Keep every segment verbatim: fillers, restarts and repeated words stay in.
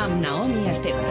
amb Naomi Esteban.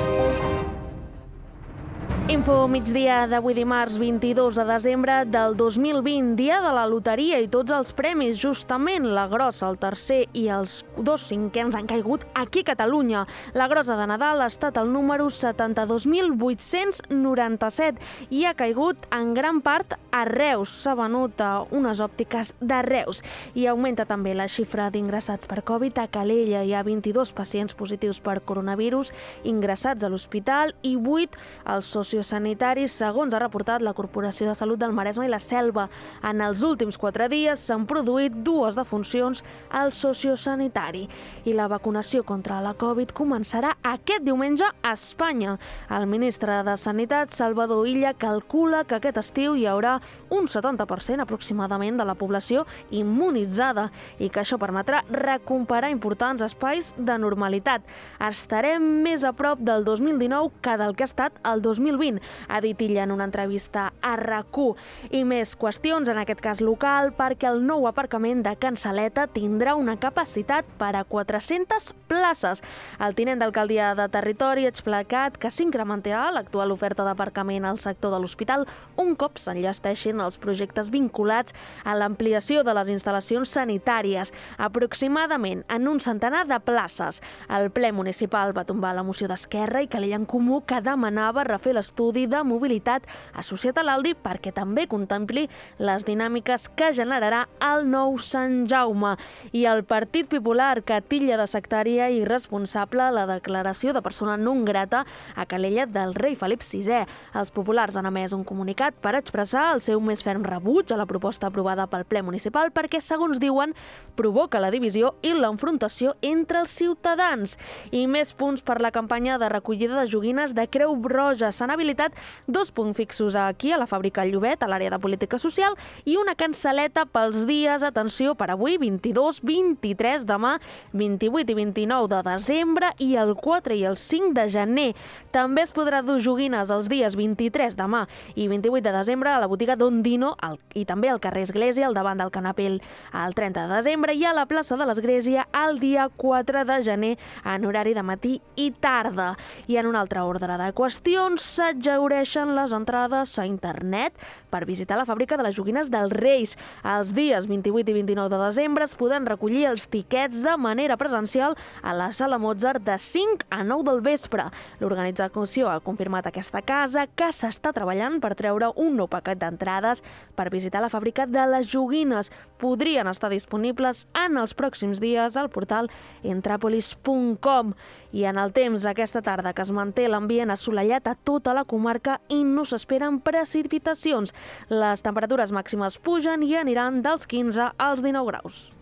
Info migdia d'avui dimarts vint-i-dos de desembre del dos mil vint, dia de la loteria i tots els premis. Justament la grossa, el tercer i els dos cinquens han caigut aquí a Catalunya. La grossa de Nadal ha estat el número setanta-dos mil vuit-cents noranta-set i ha caigut en gran part a Reus. S'ha venut a unes òptiques de Reus. I augmenta també la xifra d'ingressats per Covid. A Calella hi ha vint-i-dos pacients positius per coronavirus ingressats a l'hospital i vuit als sociosanitaris, segons ha reportat la Corporació de Salut del Maresme i la Selva. En els últims quatre dies s'han produït dues defuncions al sociosanitari. I la vacunació contra la Covid començarà aquest diumenge a Espanya. El ministre de Sanitat, Salvador Illa, calcula que aquest estiu hi haurà un setanta per cent aproximadament de la població immunitzada i que això permetrà recuperar importants espais de normalitat. Estarem més a prop del dos mil dinou que del que ha estat el dos mil vint, ha dit Illa en una entrevista a RAC1. I més qüestions, en aquest cas local, perquè el nou aparcament de Can Saleta tindrà una capacitat per a quatre-centes places. El tinent d'alcaldia de Territori ha explicat que s'incrementarà l'actual oferta d'aparcament al sector de l'hospital un cop s'enllesteixin els projectes vinculats a l'ampliació de les instal·lacions sanitàries, aproximadament en un centenar de places. El ple municipal va tombar la moció d'Esquerra i Calella en Comú que demanava refer l'estudi de mobilitat associat a l'Aldi perquè també contempli les dinàmiques que generarà el nou Sant Jaume. I el Partit Popular, que titlla de sectària i irresponsable la declaració de persona non grata a Calella del rei Felip sisè. Els populars han emès un comunicat per expressar el seu més ferm rebuig a la proposta aprovada pel ple municipal perquè, segons diuen, provoca la divisió i l'enfrontació entre els ciutadans. I més punts per la campanya de recollida de joguines de Creu Roja. S'han habilitat dos punts fixos aquí a la fàbrica Llobet, a l'àrea de política social, i una cansaleta pels dies, atenció, per avui, vint-i-dos, vint-i-tres, demà, vint-i-vuit i vint-i-nou de desembre i el quatre i el cinc de gener. També es podrà dur joguines els dies vint-i-tres, demà, i vint-i-vuit de desembre a la botiga Dondino al, i també al carrer Església, al davant del Canapell, el trenta de desembre, i a la plaça de l'Església el dia quatre de gener en horari de matí i tarda. I en un altre ordre de qüestions, s'exhaureixen les entrades a internet per visitar la fàbrica de les joguines dels Reis. Els dies vint-i-vuit i vint-i-nou de desembre es poden recollir els tiquets de manera presencial a la Sala Mozart de cinc a nou del vespre. L'organització ha confirmat aquesta casa que s'està treballant per treure un nou paquet d'entrades per visitar la fàbrica de les joguines. Podrien estar disponibles en els pròxims dies al portal entrapolis punt com. I en el temps, aquesta tarda, que es manté l'ambient assolellat a tota la comarca i no s'esperen precipitacions. Les temperatures màximes pugen i aniran dels quinze als dinou graus.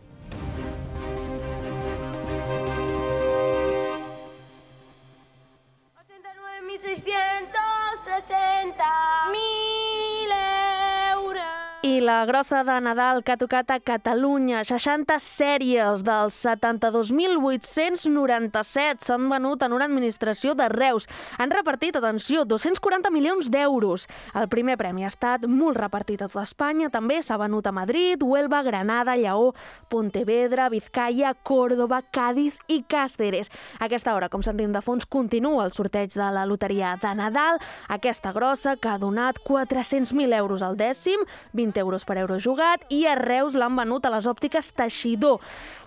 ochenta y nueve mil seiscientos sesenta Mil euros. I la grossa de Nadal que ha tocat a Catalunya, seixanta sèries dels setanta-dos mil vuit-cents noranta-set s'han venut en una administració de Reus. Han repartit, atenció, dos-cents quaranta milions d'euros. El primer premi ha estat molt repartit a tota Espanya, també s'ha venut a Madrid, Huelva, Granada, Lleó, Pontevedra, Vizcaya, Córdoba, Cádiz i Càceres. A aquesta hora, com sentim de fons, continua el sorteig de la loteria de Nadal, aquesta grossa que ha donat quatre-cents mil euros al dècim, vint euros per euro jugat, i a Reus l'han venut a les òptiques Teixidor.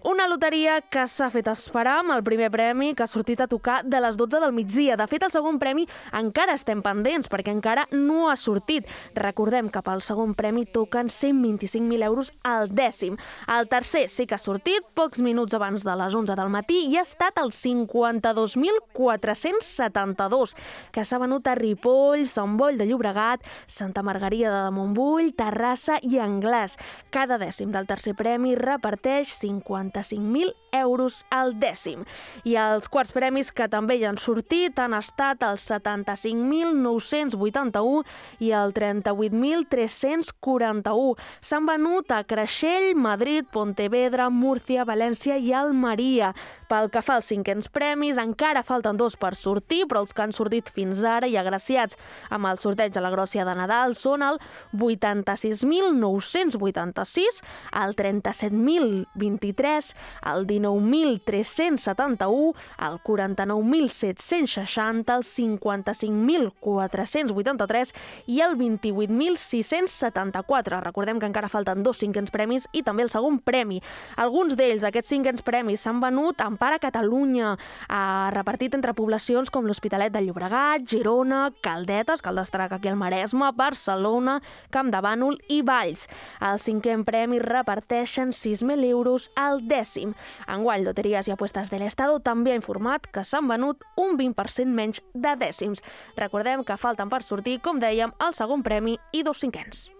Una loteria que s'ha fet esperar amb el primer premi, que ha sortit a tocar de les dotze del migdia. De fet, el segon premi encara estem pendents, perquè encara no ha sortit. Recordem que pel segon premi toquen cent vint-i-cinc mil euros al dècim. El tercer sí que ha sortit pocs minuts abans de les onze del matí i ha estat el cinquanta-dos mil quatre-cents setanta-dos, que s'ha venut a Ripoll, Sant Boi de Llobregat, Santa Margarida de Montbui, Terrassa i Anglès. Cada dècim del tercer premi reparteix cinquanta-cinc mil euros al dècim. I els quarts premis, que també hi han sortit, han estat els setanta-cinc mil nou-cents vuitanta-u i el trenta-vuit mil tres-cents quaranta-u. S'han venut a Creixell, Madrid, Pontevedra, Múrcia, València i Almeria. Pel que fa als cinquens premis, encara falten dos per sortir, però els que han sortit fins ara i agraciats amb el sorteig de la gròcia de Nadal són el vuitanta-sis mil nou-cents vuitanta-sis, el trenta-set mil vint-i-tres, el dinou dinou mil tres-cents setanta-u, el quaranta-nou mil set-cents seixanta, el cinquanta-cinc mil quatre-cents vuitanta-tres i el vint-i-vuit mil sis-cents setanta-quatre. Recordem que encara falten dos cinquens premis i també el segon premi. Alguns d'ells, aquests cinquens premis, s'han venut en part a Catalunya, eh, repartit entre poblacions com l'Hospitalet de Llobregat, Girona, Caldetes, cal destacar aquí el Maresme, Barcelona, Camp de Bànol i Valls. El cinquè premi reparteixen sis mil euros al dècim. Enguany, Loterías i Apuestas del Estado també ha informat que s'han venut un vint per cent menys de dècims. Recordem que falten per sortir, com dèiem, el segon premi i dos cinquens.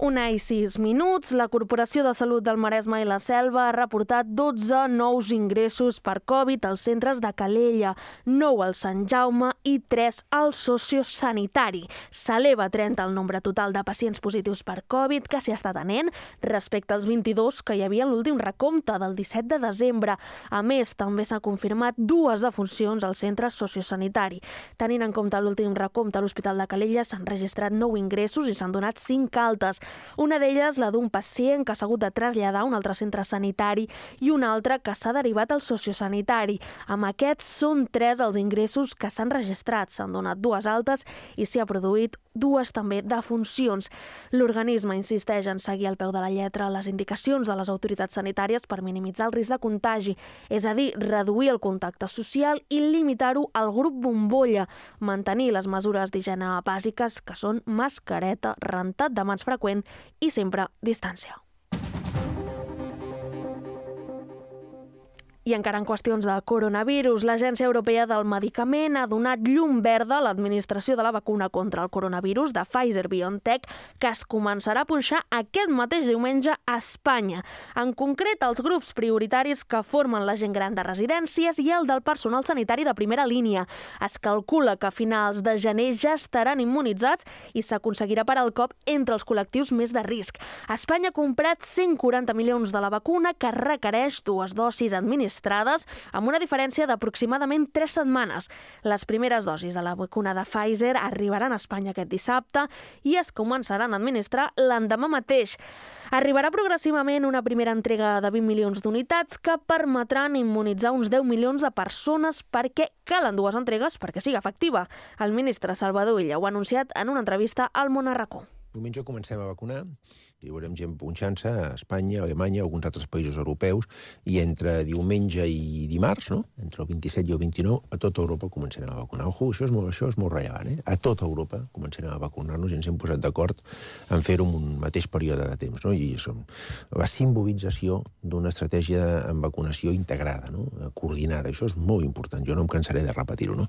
Una i sis minuts, la Corporació de Salut del Maresme i la Selva ha reportat dotze nous ingressos per Covid als centres de Calella, nou al Sant Jaume i tres al sociosanitari. S'eleva a trenta el nombre total de pacients positius per Covid que s'hi està atenent respecte als vint-i-dos que hi havia en l'últim recompte del disset de desembre. A més, també s'ha confirmat dues defuncions al centre sociosanitari. Tenint en compte l'últim recompte a l'Hospital de Calella, s'han registrat nou ingressos i s'han donat cinc altes. Una d'elles, la d'un pacient que s'ha hagut de traslladar a un altre centre sanitari i una altra que s'ha derivat al sociosanitari. Amb aquests són tres els ingressos que s'han registrat. S'han donat dues altes i s'hi ha produït dues també defuncions. L'organisme insisteix en seguir al peu de la lletra les indicacions de les autoritats sanitàries per minimitzar el risc de contagi, és a dir, reduir el contacte social i limitar-ho al grup bombolla, mantenir les mesures d'higiene bàsiques que són mascareta, rentat de mans freqüent i sempre distància. I encara en qüestions de coronavirus, l'Agència Europea del Medicament ha donat llum verda a l'administració de la vacuna contra el coronavirus de Pfizer-BioNTech, que es començarà a punxar aquest mateix diumenge a Espanya. En concret, els grups prioritaris que formen la gent gran de residències i el del personal sanitari de primera línia. Es calcula que a finals de gener ja estaran immunitzats i s'aconseguirà parar el cop entre els col·lectius més de risc. Espanya ha comprat cent quaranta milions de la vacuna, que requereix dues dosis administrades amb una diferència d'aproximadament tres setmanes. Les primeres dosis de la vacuna de Pfizer arribaran a Espanya aquest dissabte i es començaran a administrar l'endemà mateix. Arribarà progressivament una primera entrega de vint milions d'unitats que permetran immunitzar uns deu milions de persones, perquè calen dues entregues perquè sigui efectiva. El ministre Salvador Illa ho ha anunciat en una entrevista al Món a RAC1. Diumenge comencem a vacunar i veurem gent punxant-se a Espanya, a Alemanya, a alguns altres països europeus, i entre diumenge i dimarts, no? Entre el vint-i-set i el vint-i-nou, a tota Europa comencem a vacunar. Ojo, això és molt, això és molt rellevant, eh? A tota Europa comencem a vacunar-nos i ens hem posat d'acord en fer-ho en un mateix període de temps, no? I som la simbolització d'una estratègia en vacunació integrada, no? Coordinada. Això és molt important, jo no em cansaré de repetir-ho, no?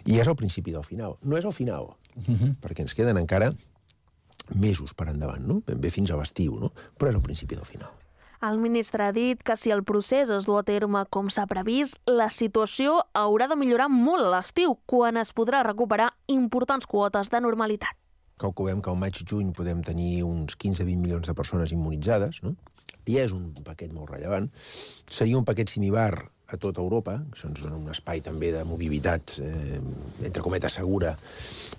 I és el principi del final. No és el final, uh-huh. perquè ens queden encara mesos per endavant, no? Ben bé fins a l'estiu, no? Però és el principi del final. El ministre ha dit que si el procés es du a terme com s'ha previst, la situació haurà de millorar molt a l'estiu, quan es podrà recuperar importants quotes de normalitat. Calculem que al maig-juny podem tenir uns quinze a vint milions de persones immunitzades, no? I és un paquet molt rellevant. Seria un paquet similar a tota Europa, això ens dona un espai també de mobilitat, eh, entre cometes, segura,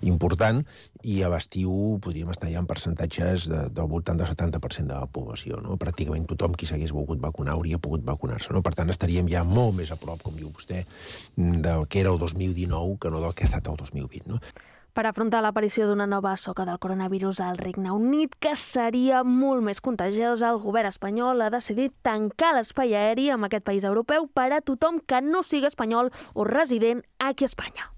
important, i a l'estiu podríem estar ja en percentatges de, del voltant del setanta per cent de la població, no? Pràcticament tothom qui s'hagués volgut vacunar hauria pogut vacunar-se, no? Per tant, estaríem ja molt més a prop, com diu vostè, del que era el dos mil dinou que no del que ha estat el dos mil vint, no? Per afrontar l'aparició d'una nova soca del coronavirus al Regne Unit, que seria molt més contagiosa, el govern espanyol ha decidit tancar l'espai aeri amb aquest país europeu per a tothom que no sigui espanyol o resident aquí a Espanya.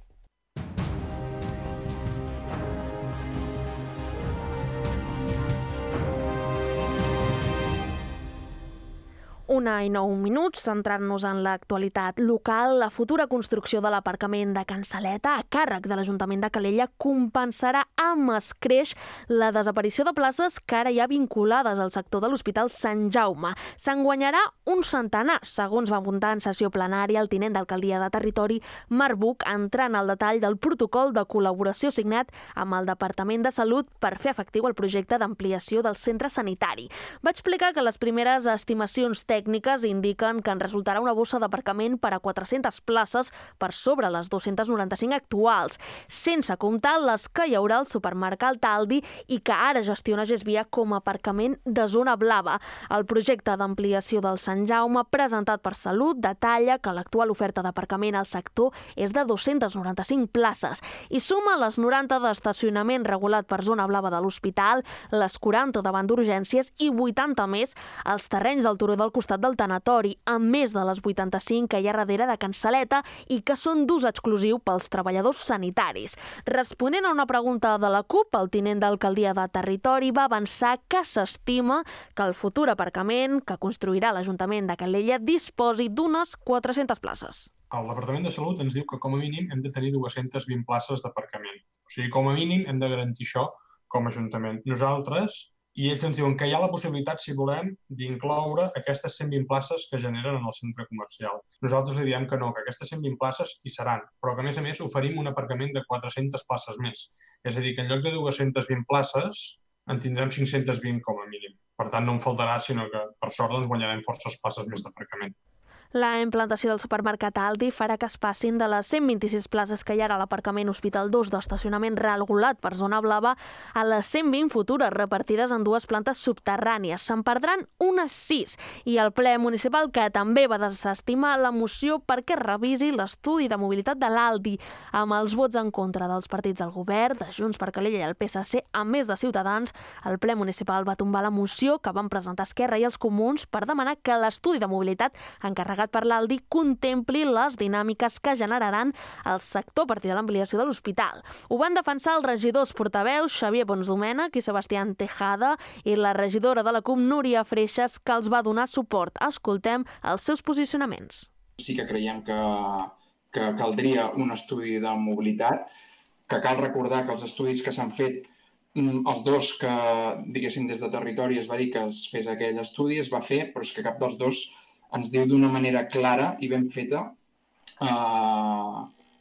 Una i nou minuts, centrant-nos en l'actualitat local. La futura construcció de l'aparcament de Can Saleta, a càrrec de l'Ajuntament de Calella, compensarà amb escreix la desaparició de places que ara hi ha vinculades al sector de l'Hospital Sant Jaume. Se'n guanyarà un centenar, segons va apuntar en sessió plenària el tinent d'alcaldia de territori, Marc Buch, entrant al detall del protocol de col·laboració signat amb el Departament de Salut per fer efectiu el projecte d'ampliació del centre sanitari. Va explicar que les primeres estimacions tècniques tècniques indiquen que en resultarà una bossa d'aparcament per a quatre-centes places per sobre les dues-centes noranta-cinc actuals, sense comptar les que hi haurà al supermercat Aldi i que ara gestiona Gesvia com a aparcament de zona blava. El projecte d'ampliació del Sant Jaume, presentat per Salut, detalla que l'actual oferta d'aparcament al sector és de dues-centes noranta-cinc places i suma les noranta d'estacionament regulat per zona blava de l'hospital, les quaranta davant d'urgències i vuitanta més als terrenys del turó del costat del tanatori, a més de les vuitanta-cinc que hi ha darrere de Cansaleta i que són d'ús exclusiu pels treballadors sanitaris. Responent a una pregunta de la CUP, el tinent d'alcaldia de Territori va avançar que s'estima que el futur aparcament que construirà l'Ajuntament de Calella disposi d'unes quatre-centes places. El Departament de Salut ens diu que com a mínim hem de tenir dues-centes vint places d'aparcament. O sigui, com a mínim hem de garantir això com a Ajuntament. Nosaltres, i ells ens diuen que hi ha la possibilitat, si volem, d'incloure aquestes cent vint places que generen en el centre comercial. Nosaltres li diem que no, que aquestes cent vint places hi seran, però que a més a més oferim un aparcament de quatre-centes places més. És a dir, que en lloc de dues-centes vint places en tindrem cinc-centes vint com a mínim. Per tant, no en faltarà, sinó que per sort doncs, guanyarem forces places més d'aparcament. La implantació del supermercat Aldi farà que es passin de les cent vint-i-sis places que hi ha a l'aparcament Hospital dos d'estacionament regulat per zona blava a les cent vint futures repartides en dues plantes subterrànies. Se'n perdran unes sis i el ple municipal, que també va desestimar la moció perquè revisi l'estudi de mobilitat de l'Aldi, amb els vots en contra dels partits del govern, de Junts per Calella i el P S C, a més de Ciutadans, el ple municipal va tombar la moció que van presentar Esquerra i els Comuns per demanar que l'estudi de mobilitat encarregat per l'Aldi contempli les dinàmiques que generaran el sector a partir de l'ampliació de l'hospital. Ho van defensar els regidors portaveus Xavier Ponsdomènech i Sebastián Tejada i la regidora de la CUP Núria Freixas, que els va donar suport. Escoltem els seus posicionaments. Sí que creiem que, que caldria un estudi de mobilitat, que cal recordar que els estudis que s'han fet, els dos que, diguéssim, des de Territori es va dir que es fes aquell estudi, es va fer, però és que cap dels dos ens diu d'una manera clara i ben feta eh,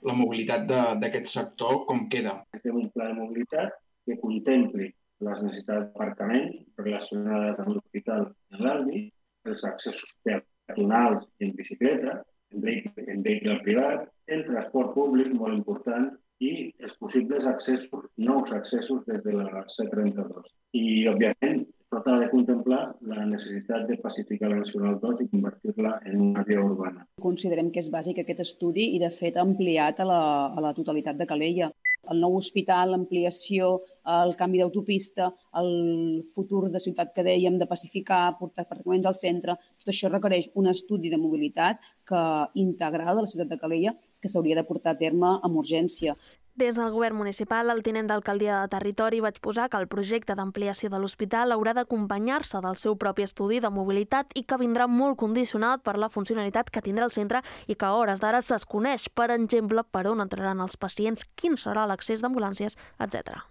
la mobilitat d'aquest sector com queda. Fem un pla de mobilitat que contempli les necessitats d'aparcament relacionades amb l'hospital i l'Aldi, els accessos peatonals i en bicicleta, en vehicle, en vehicle privat, el transport públic, molt important, i els possibles accessos, nous accessos des de la C trenta-dos. I, òbviament, tot ha de contemplar la necessitat de pacificar la Nacional dos i convertir-la en una via urbana. Considerem que és bàsic aquest estudi i, de fet, ampliat a la, a la totalitat de Calella. El nou hospital, l'ampliació, el canvi d'autopista, el futur de ciutat que dèiem, de pacificar, portar aparcaments al centre, tot això requereix un estudi de mobilitat que, integral de la ciutat de Calella que s'hauria de portar a terme amb urgència. Des del govern municipal, el tinent d'alcaldia de Territori va exposar que el projecte d'ampliació de l'hospital haurà d'acompanyar-se del seu propi estudi de mobilitat i que vindrà molt condicionat per la funcionalitat que tindrà el centre i que a hores d'ara es desconeix, per exemple, per on entraran els pacients, quin serà l'accés d'ambulàncies, etcètera.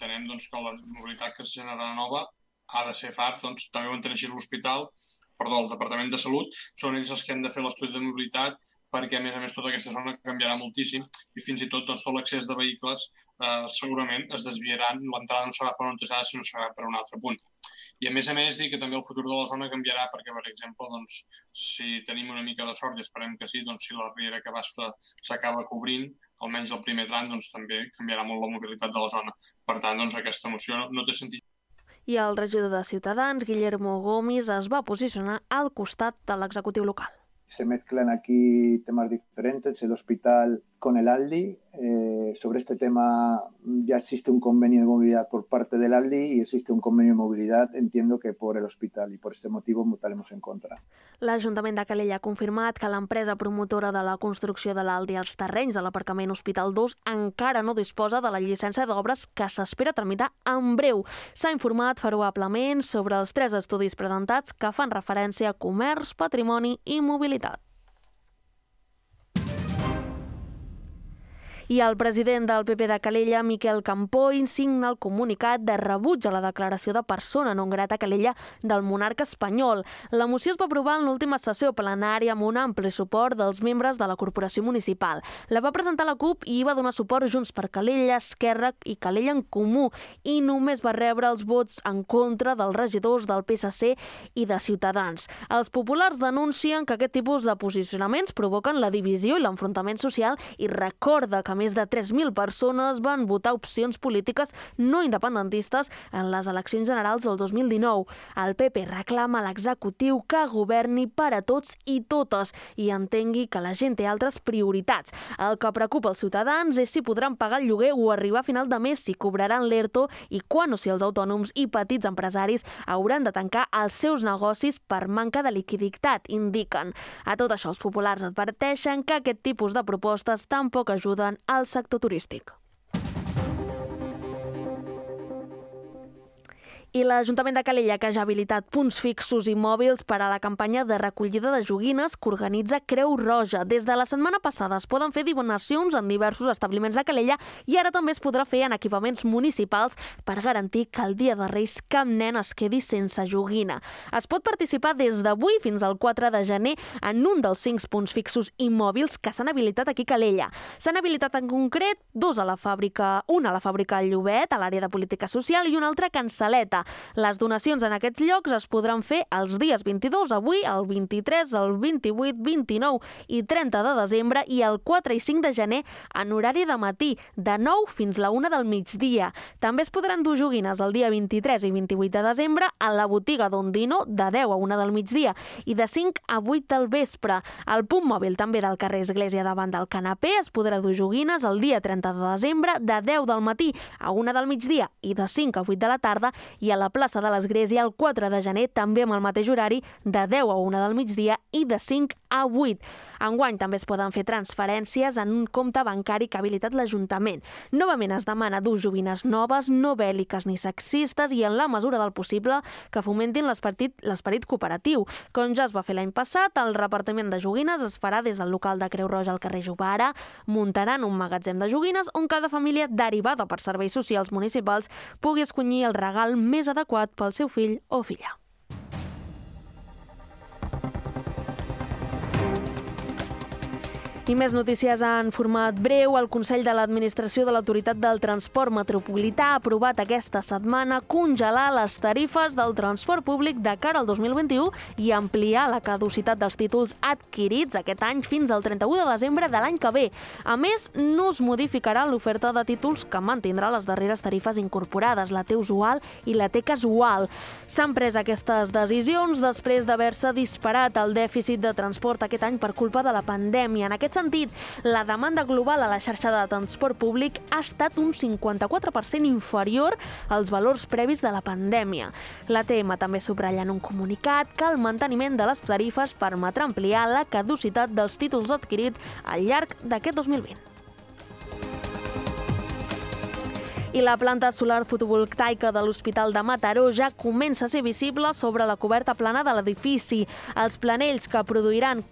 Entenem doncs, que la mobilitat que es generarà nova ha de ser fart, doncs, també ho entenc així l'hospital, perdó, el Departament de Salut, són ells els que han de fer l'estudi de mobilitat perquè, a més a més, tota aquesta zona canviarà moltíssim i fins i tot doncs, tot l'accés de vehicles eh, segurament es desviaran, l'entrada no serà per on t'ha, sinó serà per un altre punt. I, a més a més, dir que també el futur de la zona canviarà perquè, per exemple, doncs, si tenim una mica de sort, i esperem que sí, doncs, si la riera que basta s'acaba cobrint, almenys el primer tram, doncs, també canviarà molt la mobilitat de la zona. Per tant, doncs, aquesta moció no, no té sentit. I el regidor de Ciutadans, Guillermo Gomis, es va posicionar al costat de l'executiu local. Se mezclan aquí temas diferentes, el hospital con el Aldi. Eh, sobre este tema ya existe un convenio de movilidad por parte del Aldi y existe un convenio de movilidad, entiendo que por el hospital, y por este motivo votaremos en contra. L'Ajuntament de Calella ha confirmat que l'empresa promotora de la construcció de l'Aldi als terrenys de l'aparcament Hospital dos encara no disposa de la llicència d'obres que s'espera tramitar en breu. S'ha informat favorablement sobre els tres estudis presentats que fan referència a comerç, patrimoni i mobilitat. I el president del P P de Calella, Miquel Campoy, signa el comunicat de rebuig a la declaració de persona non grata a Calella del monarca espanyol. La moció es va aprovar en l'última sessió plenària amb un ampli suport dels membres de la corporació municipal. La va presentar la CUP i hi va donar suport Junts per Calella, Esquerra i Calella en Comú, i només va rebre els vots en contra dels regidors del P S C i de Ciutadans. Els populars denuncien que aquest tipus de posicionaments provoquen la divisió i l'enfrontament social i recorda que més de tres mil persones van votar opcions polítiques no independentistes en les eleccions generals del dos mil dinou. El P P reclama a l'executiu que governi per a tots i totes i entengui que la gent té altres prioritats. El que preocupa els ciutadans és si podran pagar el lloguer o arribar a final de mes, si cobraran l'ERTO i quan o si els autònoms i petits empresaris hauran de tancar els seus negocis per manca de liquiditat, indiquen. A tot això, els populars adverteixen que aquest tipus de propostes tampoc ajuden al sector turístic. I l'Ajuntament de Calella, que ja ha habilitat punts fixos i mòbils per a la campanya de recollida de joguines que organitza Creu Roja. Des de la setmana passada es poden fer donacions en diversos establiments de Calella i ara també es podrà fer en equipaments municipals per garantir que el dia de Reis cap nen es quedi sense joguina. Es pot participar des d'avui fins al quatre de gener en un dels cinc punts fixos i mòbils que s'han habilitat aquí a Calella. S'han habilitat en concret dos a la fàbrica, una a la fàbrica Llobet, a l'àrea de política social, i una altra a Can Saleta. Les donacions en aquests llocs es podran fer els dies vint-i-dos, avui, el vint-i-tres, el vint-i-vuit, vint-i-nou i trenta de desembre i el quatre i cinc de gener en horari de matí, de nou fins la una del migdia. També es podran dur joguines el dia vint-i-tres i vint-i-vuit de desembre a la botiga d'Ondino de deu a una del migdia i de cinc a vuit del vespre. Al punt mòbil també del carrer Església davant del Canapé es podrà dur joguines el dia trenta de desembre de deu del matí a una del migdia i de cinc a vuit de la tarda i a la plaça de l'Església el quatre de gener també amb el mateix horari de deu a una del migdia i de cinc a vuit. Enguany també es poden fer transferències en un compte bancari que ha habilitat l'Ajuntament. Novament es demana dur joguines noves, no bèl·liques ni sexistes i en la mesura del possible que fomentin l'esperit cooperatiu. Com ja es va fer l'any passat, el repartiment de joguines es farà des del local de Creu Roja al carrer Jovara, muntaran un magatzem de joguines on cada família derivada per serveis socials municipals pugui escollir el regal més adequat pel seu fill o filla. I més notícies en format breu. El Consell de l'Administració de l'Autoritat del Transport Metropolità ha aprovat aquesta setmana congelar les tarifes del transport públic de cara al dos mil vint-i-u i ampliar la caducitat dels títols adquirits aquest any fins al trenta-u de desembre de l'any que ve. A més, no es modificarà l'oferta de títols que mantindrà les darreres tarifes incorporades, la T usual i la T casual. S'han pres aquestes decisions després d'haver-se disparat el dèficit de transport aquest any per culpa de la pandèmia. En aquest sentit, la demanda global a la xarxa de transport públic ha estat un cinquanta-quatre per cent inferior als valors previs de la pandèmia. L'A T M també subratlla en un comunicat que el manteniment de les tarifes permetrà ampliar la caducitat dels títols adquirits al llarg d'aquest dos mil vint. I la planta solar fotovoltaica de l'Hospital de Mataró ja comença a ser visible sobre la coberta plana de l'edifici. Els planells que produiran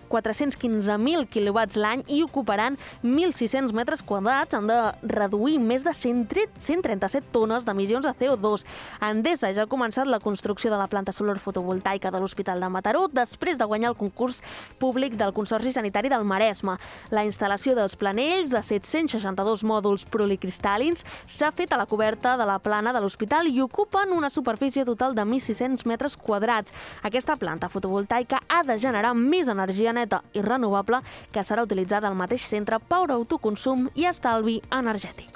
quatre-cents quinze mil quilowatts l'any i ocuparan mil sis-cents metres quadrats han de reduir més de cent trenta-set tones d'emissions de C O dos. Endesa ja ha començat la construcció de la planta solar fotovoltaica de l'Hospital de Mataró després de guanyar el concurs públic del Consorci Sanitari del Maresme. La instal·lació dels planells de set-cents seixanta-dos mòduls policristal·lins s'ha fet a la coberta de la plana de l'hospital i ocupen una superfície total de mil sis-cents metres quadrats. Aquesta planta fotovoltaica ha de generar més energia neta i renovable que serà utilitzada al mateix centre per autoconsum i estalvi energètic.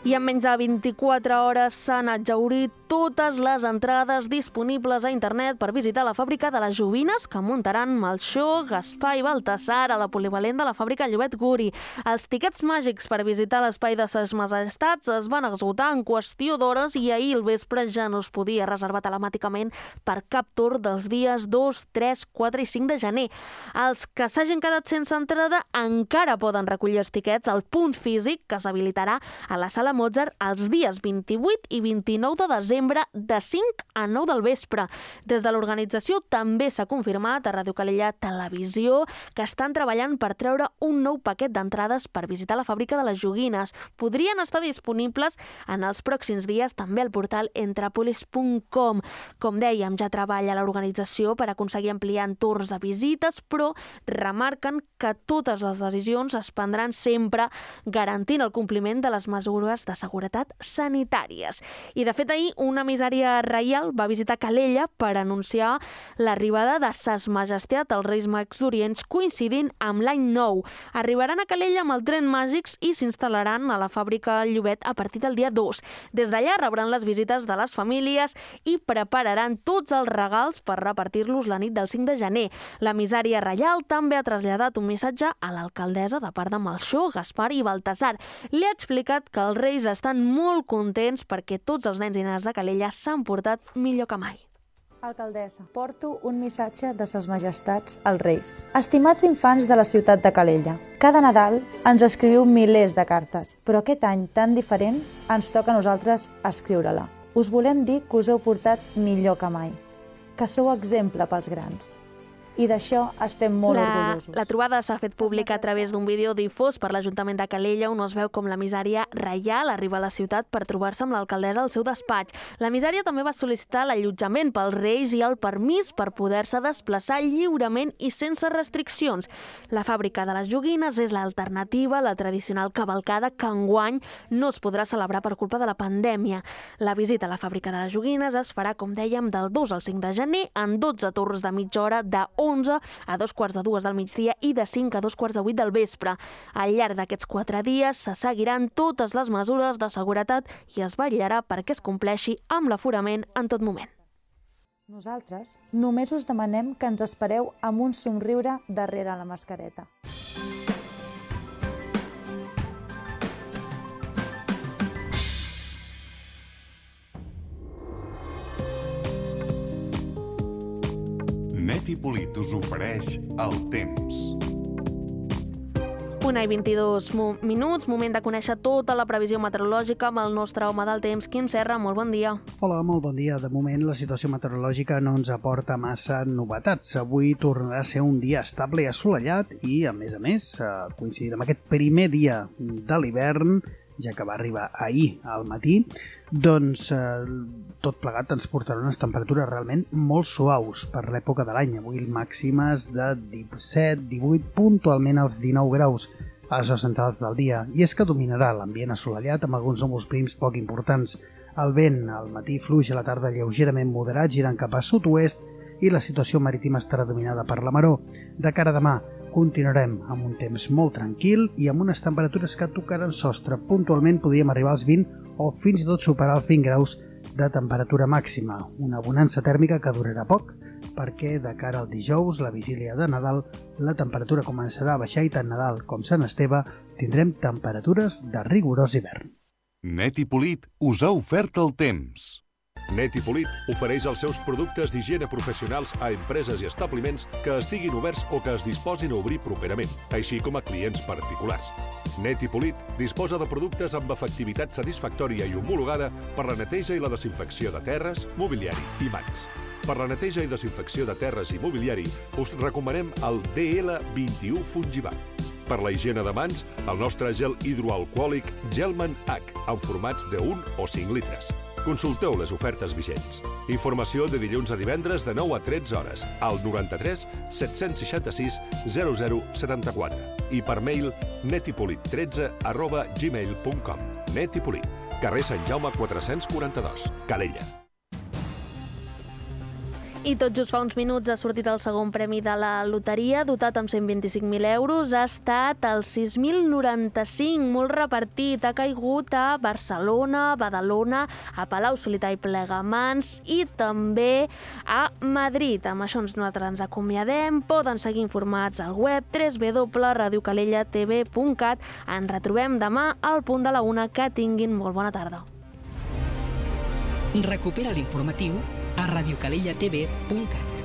I en menys de vint-i-quatre hores s'han exhaurit totes les entrades disponibles a internet per visitar la fàbrica de les joguines que muntaran Melchor, Gaspar i Baltasar a la polivalent de la fàbrica Llobet Guri. Els tiquets màgics per visitar l'espai de ses majestats es van esgotar en qüestió d'hores i ahir al vespre ja no es podia reservar telemàticament per cap tour dels dies dos, tres, quatre i cinc de gener. Els que s'hagin quedat sense entrada encara poden recollir els tiquets al punt físic que s'habilitarà a la Sala Mozart els dies vint-i-vuit i vint-i-nou de desembre de cinc a nou del vespre. Des de l'organització també s'ha confirmat a Ràdio Calella Televisió que estan treballant per treure un nou paquet d'entrades per visitar la fàbrica de les joguines. Podrien estar disponibles en els pròxims dies també al portal entrepolis punt com. Com dèiem, ja treballa l'organització per aconseguir ampliar entorns de visites, però remarquen que totes les decisions es prendran sempre garantint el compliment de les mesures de seguretat sanitàries. I, de fet, ahir una emissària reial va visitar Calella per anunciar l'arribada de Ses Majestat, els Reis Mags d'Orients, coincidint amb l'any nou. Arribaran a Calella amb el tren màgics i s'instal·laran a la fàbrica Llobet a partir del dia dos. Des d'allà rebran les visites de les famílies i prepararan tots els regals per repartir-los la nit del cinc de gener. L'emissària reial també ha traslladat un missatge a l'alcaldessa de part de Melchor, Gaspar i Baltasar. Li ha explicat que els reis estan molt contents perquè tots els nens i nenes de Calella s'han portat millor que mai. Alcaldessa, porto un missatge de Ses Majestats als Reis. Estimats infants de la ciutat de Calella, cada Nadal ens escriviu milers de cartes, però aquest any tan diferent ens toca a nosaltres escriure-la. Us volem dir que us heu portat millor que mai, que sou exemple pels grans. I d'això estem molt la, orgullosos. La trobada s'ha fet pública a través d'un vídeo difós per l'Ajuntament de Calella, on es veu com l'emissària reial arriba a la ciutat per trobar-se amb l'alcaldessa al seu despatx. L'emissària també va sol·licitar l'allotjament pels Reis i el permís per poder-se desplaçar lliurement i sense restriccions. La fàbrica de les joguines és l'alternativa a la tradicional cavalcada que enguany no es podrà celebrar per culpa de la pandèmia. La visita a la fàbrica de les joguines es farà, com dèiem, del dos al cinc de gener en dotze torns de mitja hora de onze a dos quarts de dues del migdia i de cinc a dos quarts de vuit del vespre. Al llarg d'aquests quatre dies se seguiran totes les mesures de seguretat i es vetllarà perquè es compleixi amb l'aforament en tot moment. Nosaltres només us demanem que ens espereu amb un somriure darrere la mascareta. Net i Polit us ofereix el temps. una i vint-i-dos minuts, moment de conèixer tota la previsió meteorològica amb el nostre home del temps, Quim Serra. Molt bon dia. Hola, molt bon dia. De moment la situació meteorològica no ens aporta massa novetats. Avui tornarà a ser un dia estable i assolellat i, a més a més, coincidint amb aquest primer dia de l'hivern, ja que va arribar ahir al matí, doncs eh, tot plegat ens portarà unes temperatures realment molt suaus per l'època de l'any. Avui màximes de disset, divuit, puntualment als dinou graus a les hores centrals del dia. I és que dominarà l'ambient assolellat amb alguns núvols prims poc importants. El vent al matí fluix, a la tarda lleugerament moderat, girant cap a sud-oest, i la situació marítima estarà dominada per la maró. De cara a demà, continuarem amb un temps molt tranquil i amb unes temperatures que tocaran sostre. Puntualment podríem arribar als vint o fins i tot superar els vint graus de temperatura màxima. Una bonança tèrmica que durarà poc, perquè de cara al dijous, la vigília de Nadal, la temperatura començarà a baixar i tant Nadal com Sant Esteve tindrem temperatures de rigorós hivern. Net i Polit us ha ofert el temps. Net i Polit ofereix els seus productes d'higiene professionals a empreses i establiments que estiguin oberts o que es disposin a obrir properament, així com a clients particulars. Net i Polit disposa de productes amb efectivitat satisfactòria i homologada per la neteja i la desinfecció de terres, mobiliari i mans. Per la neteja i desinfecció de terres i mobiliari us recomanem el D L vint-i-u Fungivac. Per la higiene de mans, el nostre gel hidroalcohòlic Gelman H, en formats de un o cinc litres. Consulteu les ofertes vigents. Informació de dilluns a divendres de nou a tretze hores al noranta-tres set-cents seixanta-sis zero zero setanta-quatre i per mail netipolit tretze arroba gmail punt com. Net i Polit, carrer Sant Jaume quatre-cents quaranta-dos, Calella. I tot just fa uns minuts ha sortit el segon premi de la loteria, dotat amb cent vint-i-cinc mil euros. Ha estat el sis mil noranta-cinc, molt repartit. Ha caigut a Barcelona, Badalona, a Palau-solità i Plegamans i també a Madrid. Amb això nosaltres ens acomiadem. Poden seguir informats al web w w w punt radio calella t v punt cat. Ens retrobem demà al punt de la una. Que tinguin molt bona tarda. Recupera l'informatiu a radio calella t v punt cat.